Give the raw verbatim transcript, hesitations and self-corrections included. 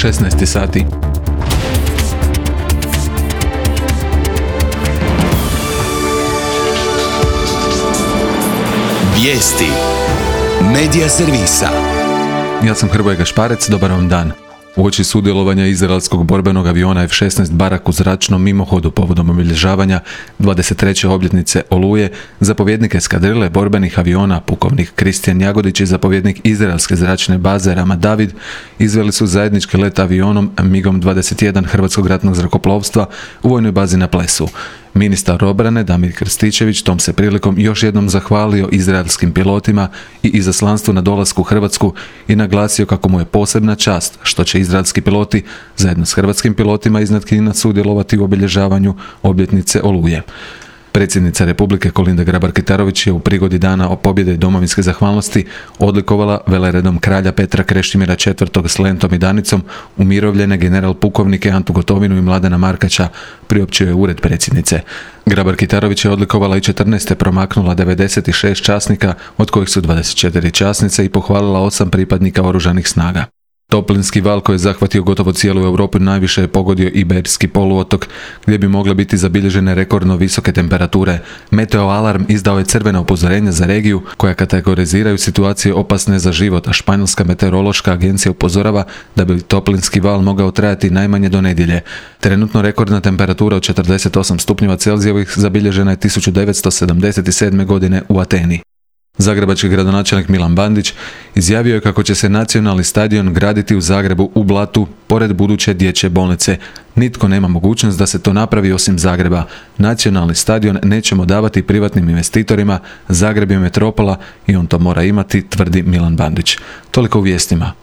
šesnaest sati. Vijesti Medija servisa. Ja sam Hrvoje Gašparec, dobar vam dan. Uoči sudjelovanja izraelskog borbenog aviona F šesnaest Barak u zračnom mimohodu povodom obilježavanja dvadeset treće obljetnice Oluje, zapovjednik eskadrile borbenih aviona, pukovnik Kristijan Jagodić i zapovjednik izraelske zračne baze Rama David izveli su zajednički let avionom MiG dvadeset jedan Hrvatskog ratnog zrakoplovstva u vojnoj bazi na Plesu. Ministar obrane Damir Krstičević tom se prilikom još jednom zahvalio izraelskim pilotima i izaslanstvu na dolasku u Hrvatsku i naglasio kako mu je posebna čast što će izraelski piloti zajedno s hrvatskim pilotima iznad Knina sudjelovati u obilježavanju obljetnice Oluje. Predsjednica Republike Kolinda Grabar-Kitarović je u prigodi dana o pobjede domovinske zahvalnosti odlikovala veleredom kralja Petra Krešimira četvrtog s lentom i danicom umirovljene general pukovnike Antu Gotovinu i Mladena Markača, priopćio je ured predsjednice. Grabar-Kitarović je odlikovala i četrnaeste promaknula devedeset šest časnika, od kojih su dvadeset četiri časnice, i pohvalila osam pripadnika oružanih snaga. Toplinski val koji je zahvatio gotovo cijelu Europu najviše je pogodio Iberski poluotok, gdje bi mogle biti zabilježene rekordno visoke temperature. Meteo alarm izdao je crvena upozorenja za regiju koja kategoriziraju situacije opasne za život, a Španjolska meteorološka agencija upozorava da bi toplinski val mogao trajati najmanje do nedjelje. Trenutno rekordna temperatura od četrdeset osam stupnjeva Celzijevih zabilježena je tisuću devetsto sedamdeset sedme. godine u Ateni. Zagrebački gradonačelnik Milan Bandić izjavio je kako će se nacionalni stadion graditi u Zagrebu u Blatu, pored buduće dječje bolnice. Nitko nema mogućnost da se to napravi osim Zagreba. Nacionalni stadion nećemo davati privatnim investitorima, Zagreb je metropola i on to mora imati, tvrdi Milan Bandić. Toliko u vijestima.